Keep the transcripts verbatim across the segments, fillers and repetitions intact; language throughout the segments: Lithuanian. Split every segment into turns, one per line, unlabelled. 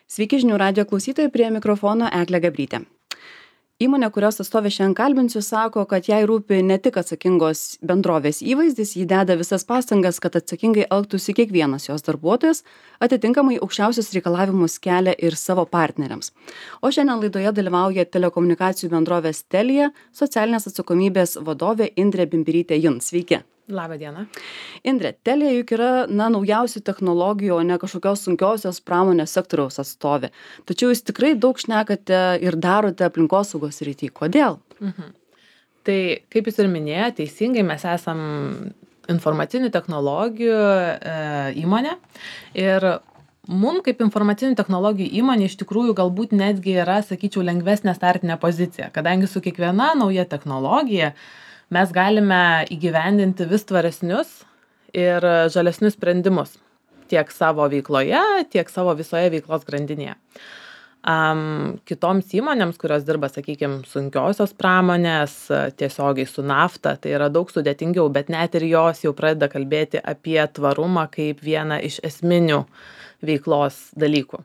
Sveiki žinių radijo klausytojai, prie mikrofono Eglė Gabrytė. Įmonė, kurios atstovė šiandien kalbinsiu, sako, kad jai rūpi ne tik atsakingos bendrovės įvaizdis, ji deda visas pastangas, kad atsakingai elgtųsi kiekvienas jos darbuotojas, atitinkamai aukščiausius reikalavimus kelia ir savo partneriams. O šiandien laidoje dalyvauja telekomunikacijų bendrovės Telia socialinės atsakomybės vadovė Indrė Bimbirytė Jun. Sveiki.
Labą dieną.
Indrė, Telia juk yra na, naujausių technologijų, o ne kažkokios sunkiosios pramonės sektoriaus atstovė. Tačiau jūs tikrai daug šnekate ir darote aplinkosaugos srity. Kodėl?
Mhm. Tai, kaip jūs ir minėjote, teisingai mes esam informacinių technologijų e, įmonė. Ir mums kaip informacinių technologijų įmonė iš tikrųjų galbūt netgi yra, sakyčiau, lengvesnė startinė pozicija, kadangi su kiekviena nauja technologija mes galime įgyvendinti vis tvaresnius ir žalesnius sprendimus tiek savo veikloje, tiek savo visoje veiklos grandinėje. Um, kitoms įmonėms, kurios dirba, sakykime, sunkiosios pramonės, tiesiogiai su nafta, tai yra daug sudėtingiau, bet net ir jos jau pradeda kalbėti apie tvarumą kaip vieną iš esminių veiklos dalykų.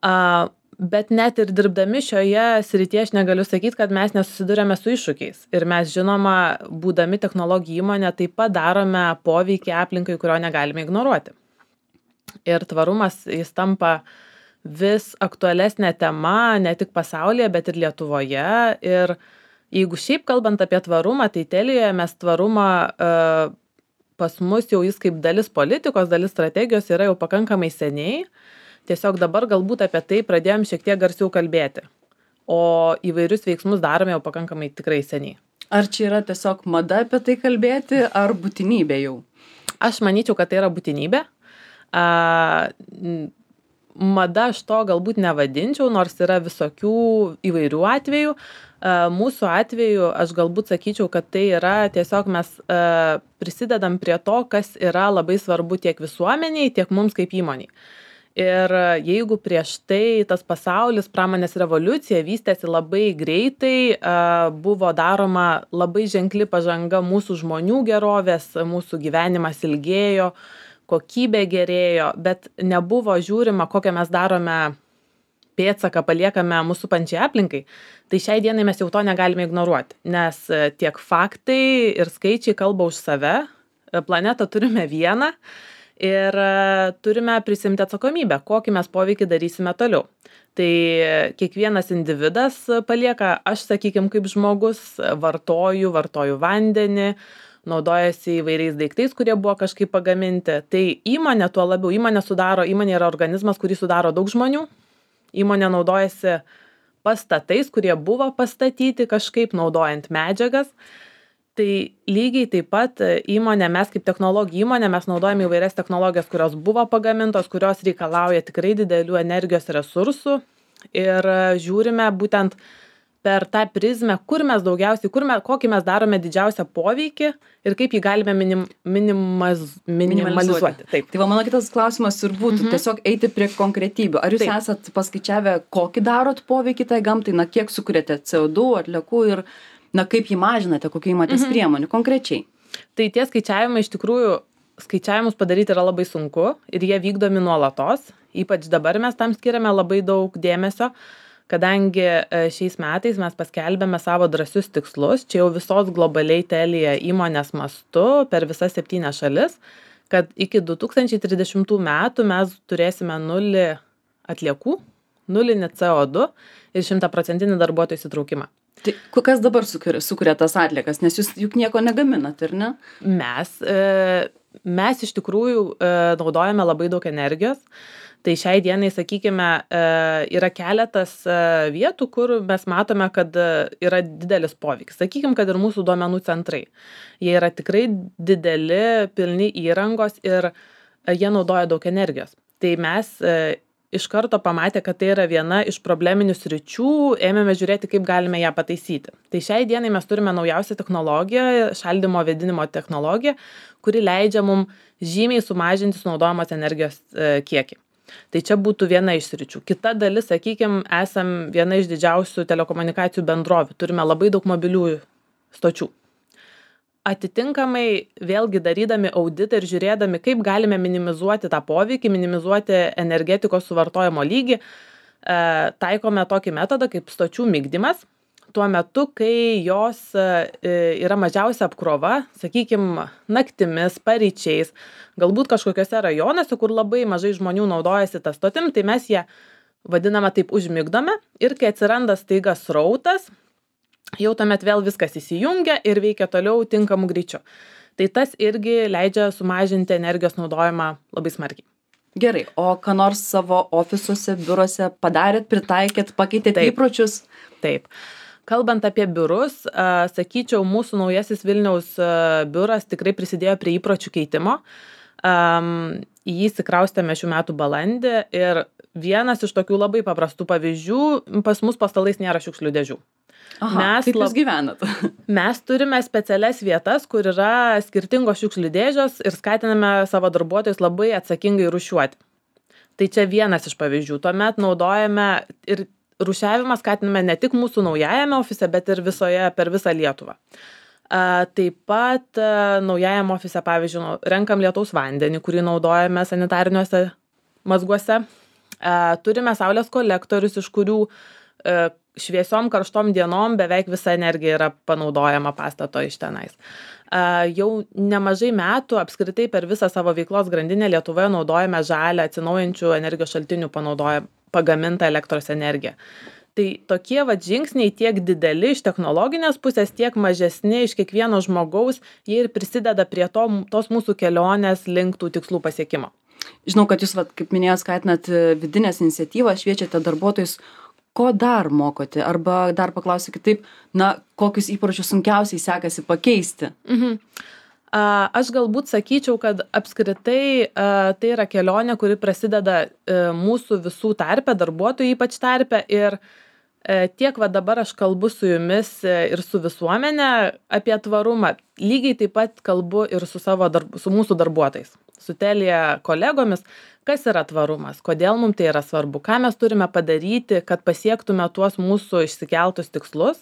Uh, Bet net ir dirbdami šioje srityje aš negaliu sakyti, kad mes nesusidurėme su iššūkiais. Ir mes, žinoma, būdami technologijų įmonė, taip pat darome poveikį aplinkai, kurio negalime ignoruoti. Ir tvarumas jis tampa vis aktualesnė tema ne tik pasaulyje, bet ir Lietuvoje. Ir jeigu šiaip kalbant apie tvarumą, tai Telijoje mes tvarumą uh, pas mus jau jis kaip dalis politikos, dalis strategijos yra jau pakankamai seniai. Tiesiog dabar galbūt apie tai pradėjom šiek tiek garsiau kalbėti, o įvairius veiksmus darome jau pakankamai tikrai seniai.
Ar čia yra tiesiog mada apie tai kalbėti, ar būtinybė jau?
Aš manyčiau, kad tai yra būtinybė. A, mada aš to galbūt nevadinčiau, nors yra visokių įvairių atvejų. A, mūsų atveju aš galbūt sakyčiau, kad tai yra tiesiog mes a, prisidedam prie to, kas yra labai svarbu tiek visuomeniai, tiek mums kaip įmoniai. Ir jeigu prieš tai tas pasaulis, pramonės revoliucija vystėsi labai greitai, buvo daroma labai ženkli pažanga mūsų žmonių gerovės, mūsų gyvenimas ilgėjo, kokybė gerėjo, bet nebuvo žiūrima, kokią mes darome pėdsaką, paliekame mūsų pančiai aplinkai. Tai šiai dienai mes jau to negalime ignoruoti, nes tiek faktai ir skaičiai kalba už save, planetą turime vieną. Ir turime prisimti atsakomybę, kokį mes poveikį darysime toliau. Tai kiekvienas individas palieka, aš sakykime, kaip žmogus, vartoju, vartoju vandenį, naudojasi įvairiais daiktais, kurie buvo kažkaip pagaminti. Tai įmonė tuo labiau, įmonė sudaro, įmonė yra organizmas, kurį sudaro daug žmonių. Įmonė naudojasi pastatais, kurie buvo pastatyti kažkaip naudojant medžiagas. Tai lygiai taip pat įmonė, mes kaip technologijų įmonė, mes naudojame įvairias technologijas, kurios buvo pagamintos, kurios reikalauja tikrai didelių energijos resursų ir žiūrime būtent per tą prizmę, kur mes daugiausiai, kur mes, kokį mes darome didžiausią poveikį ir kaip jį galime minim, minimaz, minimalizuoti.
Taip. Tai va, mano kitas klausimas ir būtų mhm. tiesiog eiti prie konkretybių. Ar jūs Taip. esat paskaičiavę, kokį darot poveikį tai gamtai, na kiek sukuriate C O du, atliekų ir na kaip jį mažinate, kokių įmatės mhm. priemonių konkrečiai?
Tai tie skaičiavimai iš tikrųjų, skaičiavimus padaryti yra labai sunku ir jie vykdomi nuolatos. Ypač dabar mes tam skiriame labai daug dėmesio, kadangi šiais metais mes paskelbėme savo drąsius tikslus, čia jau visos globaliai Telia įmonės mastu per visas septynias šalis, kad iki du tūkstančiai trisdešimtų metų mes turėsime nulį atliekų, nulinį C O du ir šimtaprocentinį darbuotojų įsitraukimą.
Tai kas dabar sukuria, sukuria tas atliekas, nes jūs juk nieko negaminat, ir ne?
Mes, e, mes iš tikrųjų e, naudojame labai daug energijos. Tai šiai dienai, sakykime, e, yra keletas e, vietų, kur mes matome, kad e, yra didelis poveikis. Sakykime, kad ir mūsų duomenų centrai. Jie yra tikrai dideli, pilni įrangos ir e, jie naudoja daug energijos. Tai mes e, iš karto pamatė, kad tai yra viena iš probleminių sričių, ėmėme žiūrėti, kaip galime ją pataisyti. Tai šiai dienai mes turime naujausią technologiją, šaldymo vėdinimo technologiją, kuri leidžia mums žymiai sumažinti sunaudojamos energijos e, kiekį. Tai čia būtų viena iš sričių. Kita dalis, sakykime, esam viena iš didžiausių telekomunikacijų bendrovių. Turime labai daug mobiliųjų stočių. atitinkamai vėlgi darydami auditą ir žiūrėdami, kaip galime minimizuoti tą poveikį, minimizuoti energetikos suvartojimo lygį, taikome tokį metodą kaip stočių migdymas. Tuo metu, kai jos yra mažiausia apkrova, sakykime, naktimis, paryčiais, galbūt kažkokiuose rajonuose, kur labai mažai žmonių naudojasi tą stotim, tai mes ją vadiname taip užmigdome ir kai atsiranda staiga srautas, jau tuomet vėl viskas įsijungia ir veikia toliau tinkamu greičiu. Tai tas irgi leidžia sumažinti energijos naudojimą labai smarkiai.
Gerai, o ką nors savo ofisuose, biuruose padarėt, pritaikėt, pakeitėt įpročius?
Taip. Kalbant apie biurus, sakyčiau, mūsų naujasis Vilniaus biuras tikrai prisidėjo prie įpročių keitimo. Į jį įsikraustėme šių metų balandį ir vienas iš tokių labai paprastų pavyzdžių, pas mus po stalais nėra šiukšlių dėžių.
Aha, mes kaip jūs gyvenat?
Mes turime specialias vietas, kur yra skirtingos šiukšlių dėžės ir skatiname savo darbuotojus labai atsakingai rūšiuoti. Tai čia vienas iš pavyzdžių. Tuomet naudojame ir rūšiavimą skatiname ne tik mūsų naujajame ofise, bet ir visoje per visą Lietuvą. Taip pat naujajame ofise, pavyzdžiui, renkam lietaus vandenį, kurį naudojame sanitariniuose mazguose. Turime saulės kolektorius, iš kurių šviesiom karštom dienom beveik visa energija yra panaudojama pastato iš tenais. Jau nemažai metų apskritai per visą savo veiklos grandinę Lietuvoje naudojame žalią atsinaujinčių energijos šaltinių panaudojam pagamintą elektros energiją. Tai tokie vat žingsniai tiek dideli iš technologinės pusės, tiek mažesni iš kiekvieno žmogaus, jie ir prisideda prie to, tos mūsų kelionės link tų tikslų pasiekimo.
Žinau, kad jūs, vat, kaip minėjot, skatinat vidinės iniciatyvas, šviečiate darbuotojus. Ko dar mokote? Arba dar paklausiu kitaip, na, kokius įpročius sunkiausiai sekasi pakeisti?
Mhm. Aš galbūt sakyčiau, kad apskritai tai yra kelionė, kuri prasideda mūsų visų tarpe, darbuotojų ypač tarpe ir tiek va dabar aš kalbu su jumis ir su visuomenė apie tvarumą. Lygiai taip pat kalbu ir su, savo darb, su mūsų darbuotojais, su Telia kolegomis, kas yra tvarumas, kodėl mums tai yra svarbu, ką mes turime padaryti, kad pasiektume tuos mūsų išsikeltus tikslus,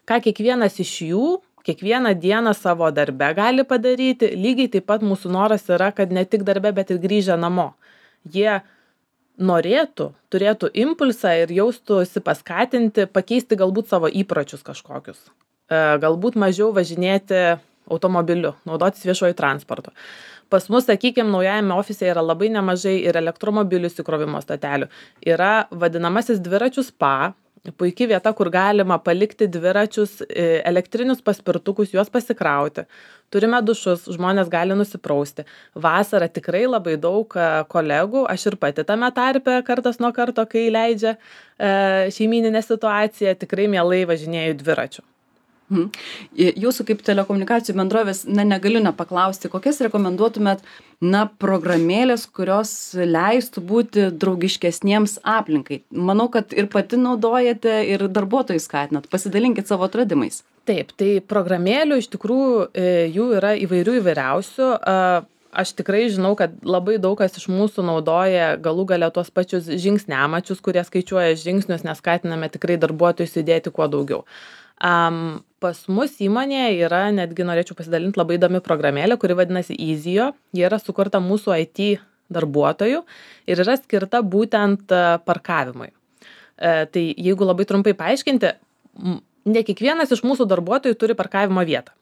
ką kiekvienas iš jų kiekvieną dieną savo darbe gali padaryti. Lygiai taip pat mūsų noras yra, kad ne tik darbe, bet ir grįžę namo. Jie norėtų, turėtų impulsą ir jaustųsi paskatinti, pakeisti galbūt savo įpročius kažkokius. Galbūt mažiau važinėti automobiliu, naudotis viešuoju transportu. Pas mus, sakykime, naujajame ofise yra labai nemažai ir elektromobilių įsikrovimo stotelių. Yra vadinamasis dviračių spa, puikia vieta, kur galima palikti dviračius, elektrinius paspirtukus, juos pasikrauti. Turime dušus, žmonės gali nusiprausti. Vasarą tikrai labai daug kolegų, aš ir pati tame tarpe kartas nuo karto, kai leidžia šeimyninė situacija, tikrai mielai važinėju dviračiu.
Mhm. Jūsų kaip telekomunikacijų bendrovės, na, negaliu nepaklausti, kokias rekomenduotumėt, na, programėlės, kurios leistų būti draugiškesniems aplinkai. Manau, kad ir pati naudojate, ir darbuotojus skatinat. Pasidalinkit savo atradimais.
Taip, tai programėlių iš tikrųjų jų yra įvairių įvairiausių. Aš tikrai žinau, kad labai daug kas iš mūsų naudoja galų gale tuos pačius žingsniamačius, kurie skaičiuoja žingsnius, nes skatiname tikrai darbuotojus įdėti kuo daugiau. Um, pas mus įmonėje yra, netgi norėčiau pasidalinti, labai įdomi programėlė, kuri vadinasi Easyo. Ji yra sukurta mūsų I T darbuotojų ir yra skirta būtent parkavimui. E, tai jeigu labai trumpai paaiškinti, ne kiekvienas iš mūsų darbuotojų turi parkavimo vietą.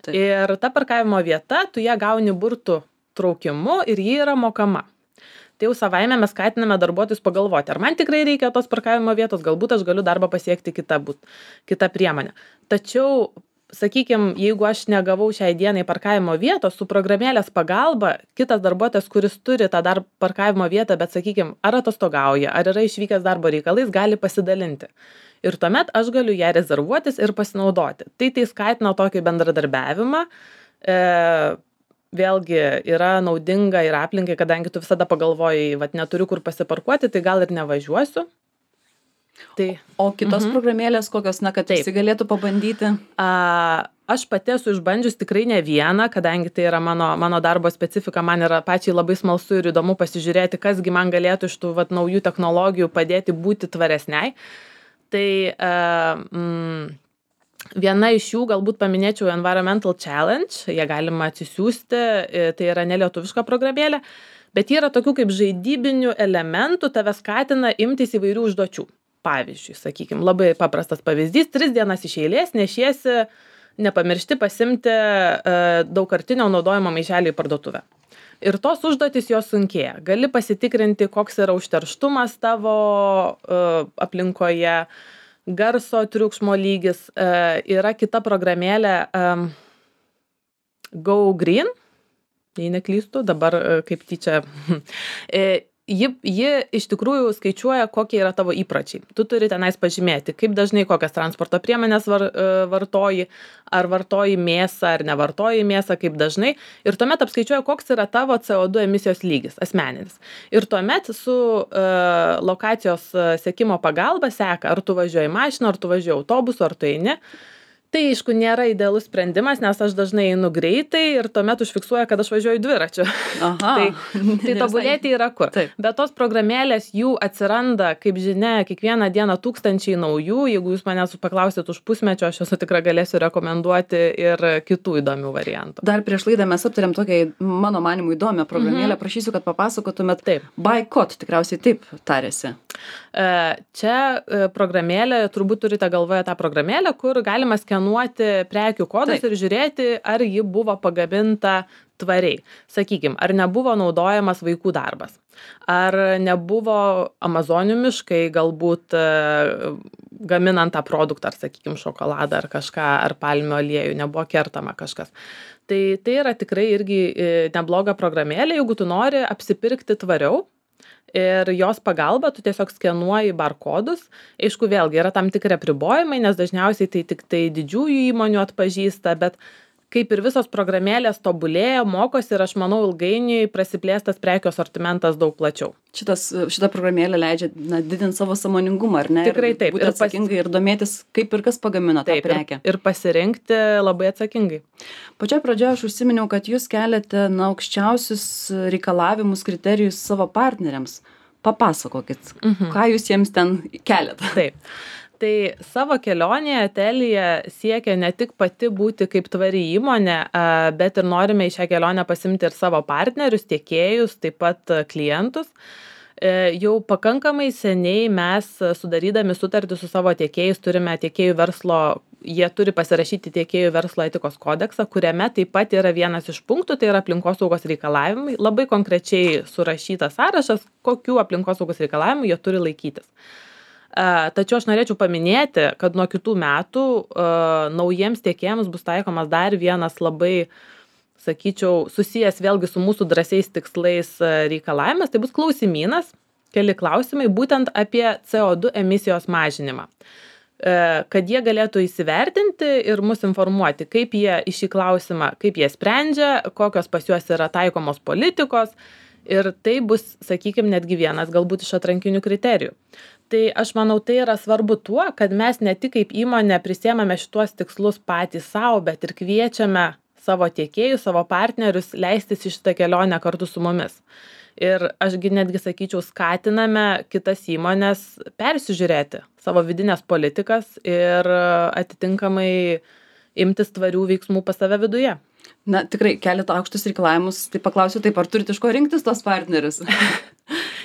Taip. Ir ta parkavimo vieta, tu ją gauni burtų traukimu ir ji yra mokama. Tai jau savaime mes skatiname darbuotojus pagalvoti, ar man tikrai reikia tos parkavimo vietos, galbūt aš galiu darbą pasiekti kitą, būt, kitą priemonę. Tačiau, sakykime, jeigu aš negavau šiai dienai parkavimo vietos, su programėlės pagalba, kitas darbuotojas, kuris turi tą dar parkavimo vietą, bet, sakykime, ar atostogauja, ar yra išvykęs darbo reikalais, gali pasidalinti. Ir tuomet aš galiu ją rezervuotis ir pasinaudoti. Tai tai skatina tokį bendradarbiavimą. E, Vėlgi yra naudinga ir aplinkai, kadangi tu visada pagalvojai, vat neturiu kur pasiparkuoti, tai gal ir nevažiuosiu. Tai,
o kitos mhm. programėlės kokios, na, kad visi galėtų pabandyti?
A, aš pati esu išbandžius tikrai ne vieną, kadangi tai yra mano, mano darbo specifika, man yra pačiai labai smalsu ir įdomu pasižiūrėti, kasgi man galėtų iš tų vat, naujų technologijų padėti būti tvaresniai. Tai a, mm, Viena iš jų galbūt paminėčiau Environmental Challenge, jie galima atsisiųsti, tai yra nelietuviška programėlė, bet yra tokių kaip žaidybinių elementų, tave skatina imtis įvairių užduočių. Pavyzdžiui, sakykime, labai paprastas pavyzdys, tris dienas iš eilės nešiesi, nepamiršti pasimti uh, daugkartinio naudojimo maišelį į parduotuvę. Ir tos užduotys jos sunkėja. Gali pasitikrinti, koks yra užterštumas tavo uh, aplinkoje, garso triukšmo lygis. Uh, yra kita programėlė um, Go Green, jei neklystu, dabar uh, kaip tyčia. Ji, ji iš tikrųjų skaičiuoja, kokie yra tavo įpročiai. Tu turi tenais pažymėti, kaip dažnai kokias transporto priemonės var, vartoji, ar vartoji mėsą, ar nevartoji mėsą, kaip dažnai. Ir tuomet apskaičiuoja, koks yra tavo C O du emisijos lygis asmeninis. Ir tuomet su uh, lokacijos sekimo pagalba seka, ar tu važiuoji mašiną, ar tu važiuoji autobusu, ar tu eini. Tai, aišku, nėra idealus sprendimas, nes aš dažnai einu greitai ir tuomet užfiksuoja, kad aš važiuoju dviračiu.
Aha.
tai tai tobulėti yra kur.
Taip.
Bet tos programėlės jų atsiranda, kaip žinia, kiekvieną dieną tūkstančiai naujų. Jeigu jūs manęs paklausit už pusmečio, aš esu tikrai galėsiu rekomenduoti ir kitų įdomių variantų.
Dar prieš laidą mes aptarėm tokią, mano manimų, įdomią programėlę. Mhm. Prašysiu, kad papasakotumėt.
Taip.
Boycott, tikriausiai taip tarėsi.
Čia programėlė, turbūt turite galvoje tą programėlę, kur galima skenuoti prekių kodus. Taip. Ir žiūrėti, ar ji buvo pagaminta tvariai. Sakykime, ar nebuvo naudojamas vaikų darbas, ar nebuvo amazonių miškai galbūt gaminant tą produktą, ar sakykime šokoladą, ar kažką, ar palmių aliejų, nebuvo kertama kažkas. Tai tai yra tikrai irgi nebloga programėlė, jeigu tu nori apsipirkti tvariau. Ir jos pagalba tu tiesiog skenuoji barkodus. Aišku, vėlgi yra tam tikri apribojimai, nes dažniausiai tai tik tai didžiųjų įmonių atpažįsta, bet kaip ir visos programėlės tobulėja, mokosi ir aš manau ilgainiui prasiplėstas prekių asortimentas daug plačiau.
Šitas, šita programėlė leidžia na, didinti savo sąmoningumą, ar ne?
Tikrai taip.
Ir būti atsakingai ir domėtis, kaip ir kas pagamina tą prekę.
Ir, ir pasirinkti labai atsakingai.
Pačioje pradžioje aš užsiminiau, kad jūs keliate na, aukščiausius reikalavimus, kriterijus savo partneriams. Papasakokit, mhm. ką jūs jiems ten keliate.
Taip. Tai savo kelionėje Telia siekia ne tik pati būti kaip tvari įmonė, bet ir norime į šią kelionę pasimti ir savo partnerius, tiekėjus, taip pat klientus. Jau pakankamai seniai mes sudarydami sutartį su savo tiekėjais turime tiekėjų verslo, jie turi pasirašyti tiekėjų verslo etikos kodeksą, kuriame taip pat yra vienas iš punktų, tai yra aplinkosaugos reikalavimai, labai konkrečiai surašytas sąrašas, kokių aplinkosaugos reikalavimų jie turi laikytis. Tačiau aš norėčiau paminėti, kad nuo kitų metų uh, naujiems tiekėjams bus taikomas dar vienas labai, sakyčiau, susijęs vėlgi su mūsų drąsiais tikslais reikalavimas, tai bus klausimynas, keli klausimai būtent apie C O du emisijos mažinimą. Uh, kad jie galėtų įsivertinti ir mus informuoti, kaip jie į šį klausimą, kaip jie sprendžia, kokios pas juos yra taikomos politikos ir tai bus, sakykime, netgi vienas galbūt iš atrankinių kriterijų. Tai aš manau, tai yra svarbu tuo, kad mes ne tik kaip įmonė prisiemame šituos tikslus patys savo, bet ir kviečiame savo tiekėjus, savo partnerius leistis į šitą kelionę kartu su mumis. Ir ašgi netgi sakyčiau, skatiname kitas įmonės persižiūrėti savo vidinės politikas ir atitinkamai imtis tvarių veiksmų pas save viduje.
Na, tikrai keliate aukštus reikalavimus, tai paklausiu taip, ar turite iš ko rinktis tos partnerius?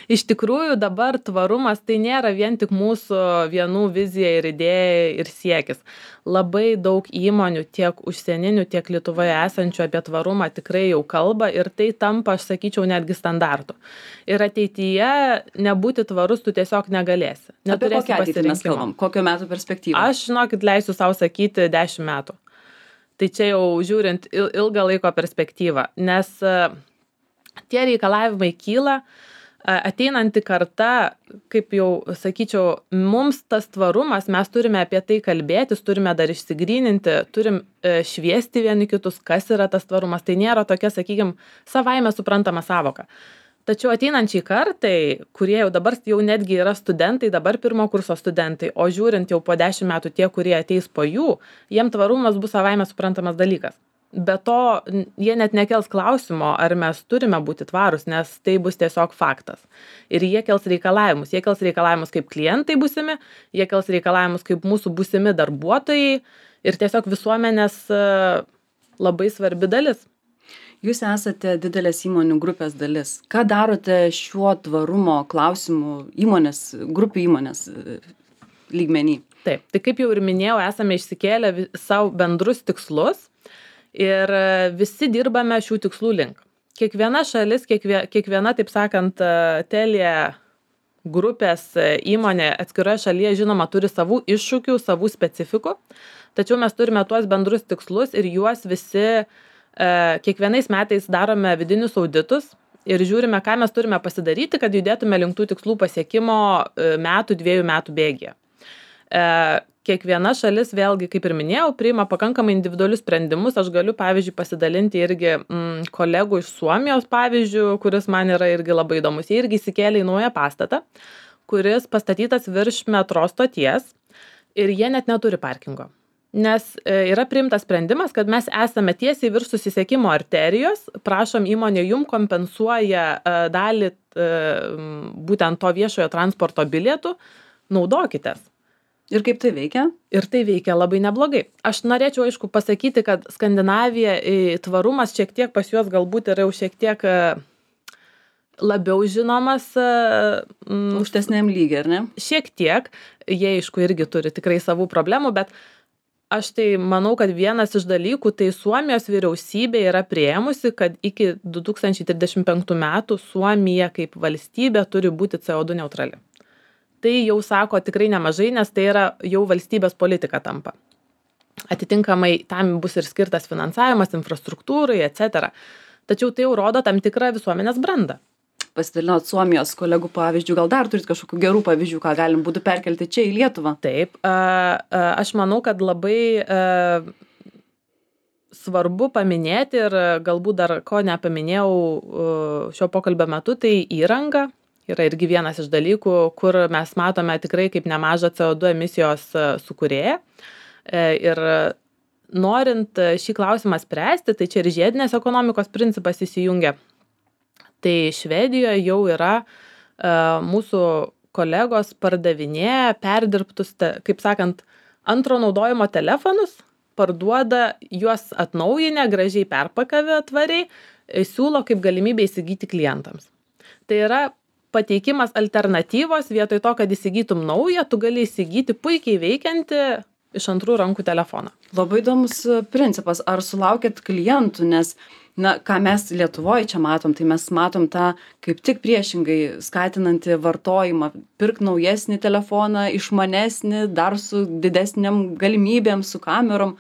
Iš tikrųjų dabar tvarumas tai nėra vien tik mūsų vienų vizija ir idėja ir siekis. Labai daug įmonių tiek užsieninių, tiek Lietuvoje esančių apie tvarumą tikrai jau kalba ir tai tampa, aš sakyčiau, netgi standartu. Ir ateityje nebūti tvarus tu tiesiog negalėsi.
Apie kokią ateitį mes kalbam? Kokio metų perspektyvą?
Aš, žinokit, leisiu savo sakyti dešimt metų. Tai čia jau žiūrint ilgą laiko perspektyvą, nes tie reikalavimai kyla, ateinanti karta, kaip jau sakyčiau, mums tas tvarumas, mes turime apie tai kalbėtis, turime dar išsigryninti, turim šviesti vieni kitus, kas yra tas tvarumas. Tai nėra tokia, sakykime, savaime suprantama savoka. Tačiau ateinančiai kartai, kurie jau dabar jau netgi yra studentai, dabar pirmo kurso studentai, o žiūrint jau po dešimt metų tie, kurie ateis po jų, jiem tvarumas bus savaime suprantamas dalykas. Be to, jie net nekels klausimo, ar mes turime būti tvarūs, nes tai bus tiesiog faktas. Ir jie kels reikalavimus. Jie kels reikalavimus kaip klientai būsimi, jie kels reikalavimus kaip mūsų būsimi darbuotojai ir tiesiog visuomenės labai svarbi dalis.
Jūs esate didelės įmonių grupės dalis. Ką darote šiuo tvarumo klausimu įmonės, grupių įmonės lygmenį?
Taip, tai kaip jau ir minėjau, esame išsikėlę savo bendrus tikslus ir visi dirbame šių tikslų link. Kiekviena šalis, kiekviena, kiekviena taip sakant, Telia grupės įmonė atskiroje šalyje, žinoma, turi savų iššūkių, savų specifikų, tačiau mes turime tuos bendrus tikslus ir juos visi kiekvienais metais darome vidinius auditus ir žiūrime, ką mes turime pasidaryti, kad judėtume link tų tikslų pasiekimo metų, dviejų metų bėgyje. Kiekviena šalis, vėlgi, kaip ir minėjau, priima pakankamai individualius sprendimus. Aš galiu, pavyzdžiui, pasidalinti irgi mm, kolegų iš Suomijos pavyzdžių, kuris man yra irgi labai įdomus. Jie irgi įsikėlė į naują pastatą, kuris pastatytas virš metro stoties ir jie net neturi parkingo. Nes yra priimtas sprendimas, kad mes esame tiesiai virš susisiekimo arterijos, prašom įmonė jum kompensuoja dalį būtent to viešojo transporto bilietų, naudokitės.
Ir kaip tai veikia?
Ir tai veikia labai neblogai. Aš norėčiau, aišku, pasakyti, kad Skandinavija tvarumas šiek tiek pas juos galbūt yra jau šiek tiek labiau žinomas.
Aukštesniam lygiai, ar ne?
Šiek tiek. Jie, aišku, irgi turi tikrai savų problemų, bet aš tai manau, kad vienas iš dalykų, tai Suomijos vyriausybė yra priėmusi, kad iki du tūkstančiai trisdešimt penktų metų Suomija kaip valstybė turi būti C O du neutrali. Tai jau sako tikrai nemažai, nes tai yra jau valstybės politika tampa. Atitinkamai tam bus ir skirtas finansavimas, infrastruktūrai, et cetera. Tačiau tai jau rodo tam tikrą visuomenės brandą.
Pasidalinot Suomijos kolegų pavyzdžių, gal dar turit kažkokių gerų pavyzdžių, ką galim būtų perkelti čia į Lietuvą?
Taip, aš manau, kad labai svarbu paminėti ir galbūt dar ko nepaminėjau šio pokalbio metu, tai įranga yra irgi vienas iš dalykų, kur mes matome tikrai kaip nemažą C O du emisijos sukūrėją. Ir norint šį klausimą spręsti, tai čia ir žiedinės ekonomikos principas įsijungia. Tai Švedijoje jau yra uh, mūsų kolegos pardavinėja perdirbtus, te, kaip sakant, antro naudojimo telefonus, parduoda juos atnaujinę, gražiai perpakavę tvariai, siūlo kaip galimybę įsigyti klientams. Tai yra pateikimas alternatyvos, vietoj to, kad įsigytum naują, tu gali įsigyti puikiai veikiantį iš antrų rankų telefoną.
Labai įdomus principas. Ar sulaukėt klientų, nes na, ką mes Lietuvoje čia matom, tai mes matom tą kaip tik priešingai skatinantį vartojimą, pirk naujesnį telefoną, išmanesnį, dar su didesniam galimybėm, su kamerom.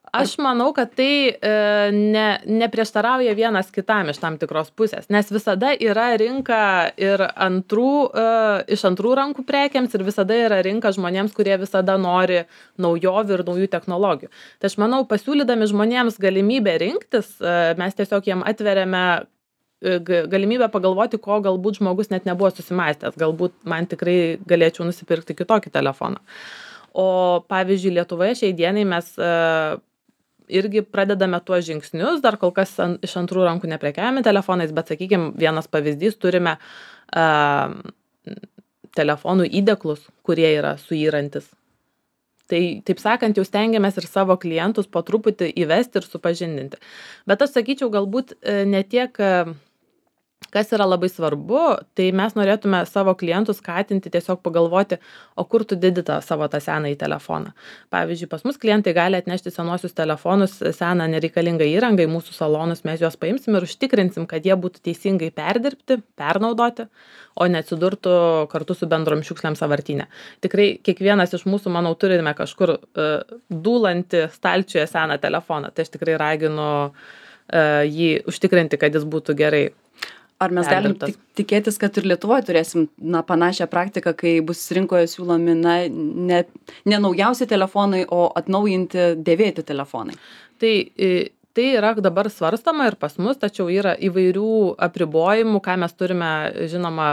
Aš manau, kad tai e, ne, neprieštarauja vienas kitam iš tam tikros pusės, nes visada yra rinka ir antrų, e, iš antrų rankų prekiams ir visada yra rinka žmonėms, kurie visada nori naujovių ir naujų technologijų. Tai aš manau, pasiūlydami žmonėms galimybę rinktis, e, mes tiesiog jiem atveriame e, galimybę pagalvoti, ko galbūt žmogus net nebuvo susimąstęs. Galbūt man tikrai galėčiau nusipirkti kitokį telefoną. O pavyzdžiui, Lietuvoje šiai dienai mes e, irgi pradedame tuos žingsnius, dar kol kas an, iš antrų rankų neprekiavame telefonais, bet, sakykime, vienas pavyzdys, turime uh, telefonų įdėklus, kurie yra suyrantis. Tai, taip sakant, jau stengiamės ir savo klientus po truputį įvesti ir supažindinti. Bet aš sakyčiau, galbūt ne tiek, kas yra labai svarbu, tai mes norėtume savo klientus skatinti tiesiog pagalvoti, o kur tu didi tą savo tą senąjį telefoną. Pavyzdžiui, pas mus klientai gali atnešti senuosius telefonus, seną nereikalingą įrangą į mūsų salonus, mes juos paimsim ir užtikrinsim, kad jie būtų teisingai perdirbti, pernaudoti, o neatsidurtų kartu su bendrom šiukšlėm sąvartyne. Tikrai kiekvienas iš mūsų, manau, turime kažkur uh, dūlantį stalčiuje seną telefoną, tai aš tikrai raginu uh, jį užtikrinti, kad jis būtų gerai.
Ar mes galim tik, tikėtis, kad ir Lietuvoje turėsim na, panašią praktiką, kai bus rinkoje siūlomi na, ne, ne naujausi telefonai, o atnaujinti dėvėti telefonai?
Tai, tai yra dabar svarstama ir pas mus, tačiau yra įvairių apribojimų, ką mes turime, žinoma,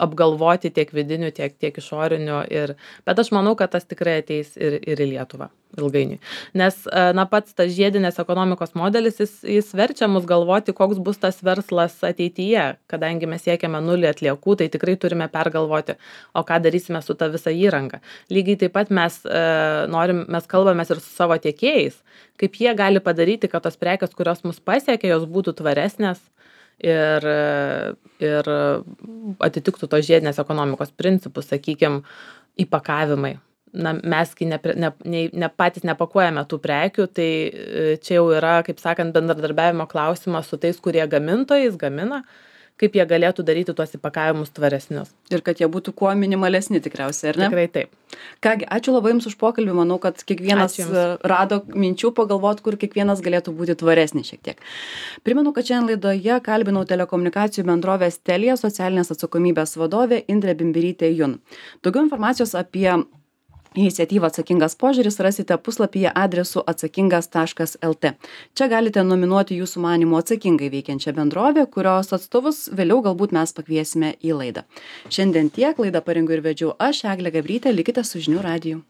apgalvoti tiek vidinių, tiek, tiek išorinių. Ir, bet aš manau, kad tas tikrai ateis ir, ir į Lietuvą ilgainiui. Nes, na, pats tas žiedinės ekonomikos modelis, jis, jis verčia mus galvoti, koks bus tas verslas ateityje. Kadangi mes siekiame nulį atliekų, tai tikrai turime pergalvoti, o ką darysime su ta visa įranga. Lygiai taip pat mes, e, norim, mes kalbamės ir su savo tiekėjais, kaip jie gali padaryti, kad tos prekės, kurios mus pasiekia, jos būtų tvaresnės ir, ir atitiktų tos žiedinės ekonomikos principus, sakykime, įpakavimai. Na, mes, kai ne, ne, ne, ne patys nepakuojame tų prekių, tai čia jau yra, kaip sakant, bendradarbiavimo klausimas su tais, kurie gamintojais gamina, kaip jie galėtų daryti tuos įpakavimus tvaresnius.
Ir kad jie būtų kuo minimalesni tikriausiai, ar ne?
Tikrai taip.
Kągi, ačiū labai Jums už pokalbį, manau, kad kiekvienas rado minčių pagalvoti, kur kiekvienas galėtų būti tvaresnis šiek tiek. Primenu, kad šiandien laidoje kalbinau telekomunikacijų bendrovės Telia socialinės atsakomybės vadovę Indrę Bimbirytę Jun. Daugiau informacijos apie iniciatyvą Atsakingas požiūris rasite puslapyje adresu atsakingas taškas lt. Čia galite nominuoti Jūsų manymu atsakingai veikiančią bendrovę, kurios atstovus vėliau galbūt mes pakviesime į laidą. Šiandien tiek, laidą parengiau ir vedžiau aš, Eglė Gabrytė, likite su Žinių radiju.